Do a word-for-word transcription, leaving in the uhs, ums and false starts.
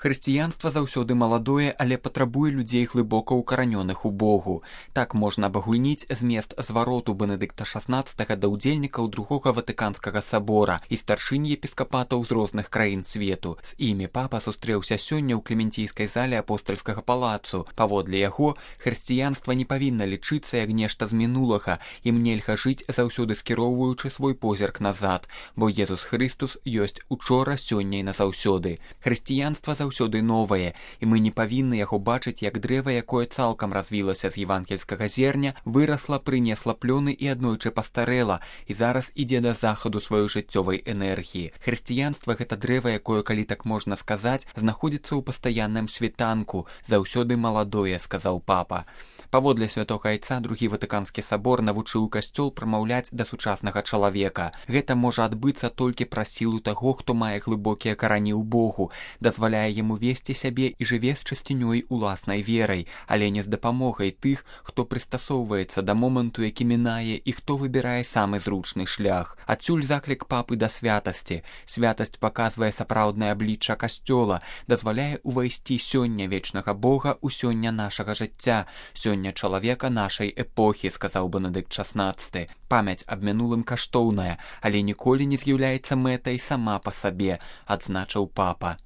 Хрысціянства заўсёды маладое, але патрабуе людзей глыбока ўкаранёных у Богу. Так можна абагульніць змест звароту Бенедыкта шаснаццатага да ўдзельнікаў другога Ватыканскага сабора і старшынь епіскапатаў з розных краін свету. З імі папа сустрэўся сёння ў клементійскай зале апостальскага палацу. Паводле яго, хрысціянства не павінна лічыцца як нешта з мінулага, ім нельга жыць заўсёды скіроўваючы свой позірк назад, бо Езус Хрыстус ёсць учора, сёння і назаўсёды. Хрысціянства заўсёды новае, і мы не павінны яго бачыць як дрэва, якое цалкам развілася з евангельскага зерня, вырасла, прынесла плёны і аднойчы пастарэла, і зараз ідзе да захаду сваёй жыццёвай энергіі. Хрысціянства — гэта дрэва, якое, калі так можна сказаць, знаходзіцца ў пастаянным світанку, заўсёды маладое, сказаў папа. Паводле святога айца, другі Ватыканскі сабор навучыў касцёл прамаўляць да сучаснага чалавека. Гэта можа адбыцца толькі праз сілу таго, хто мае глыбокія карані ў Богу, дазваляе яму весці сябе і жыве з чысцінёй уласнай верай, але не з дапамогай тых, хто прыстасоўваецца да моманту, які мінае, і хто выбірае самы зручны шлях. Адсюль заклік папы да святасці. Святасць паказвае сапраўднае аблічча касцёла, дазваляе ўвайсці сёння вечнага Бога ў сёння нашага жыцця, сёння чалавека нашай эпохі, сказаў Бенедыкт шаснаццаты. Памяць аб мінулым каштоўная, але ніколі не з'яўляецца мэтай сама па сабе, адзначыў папа.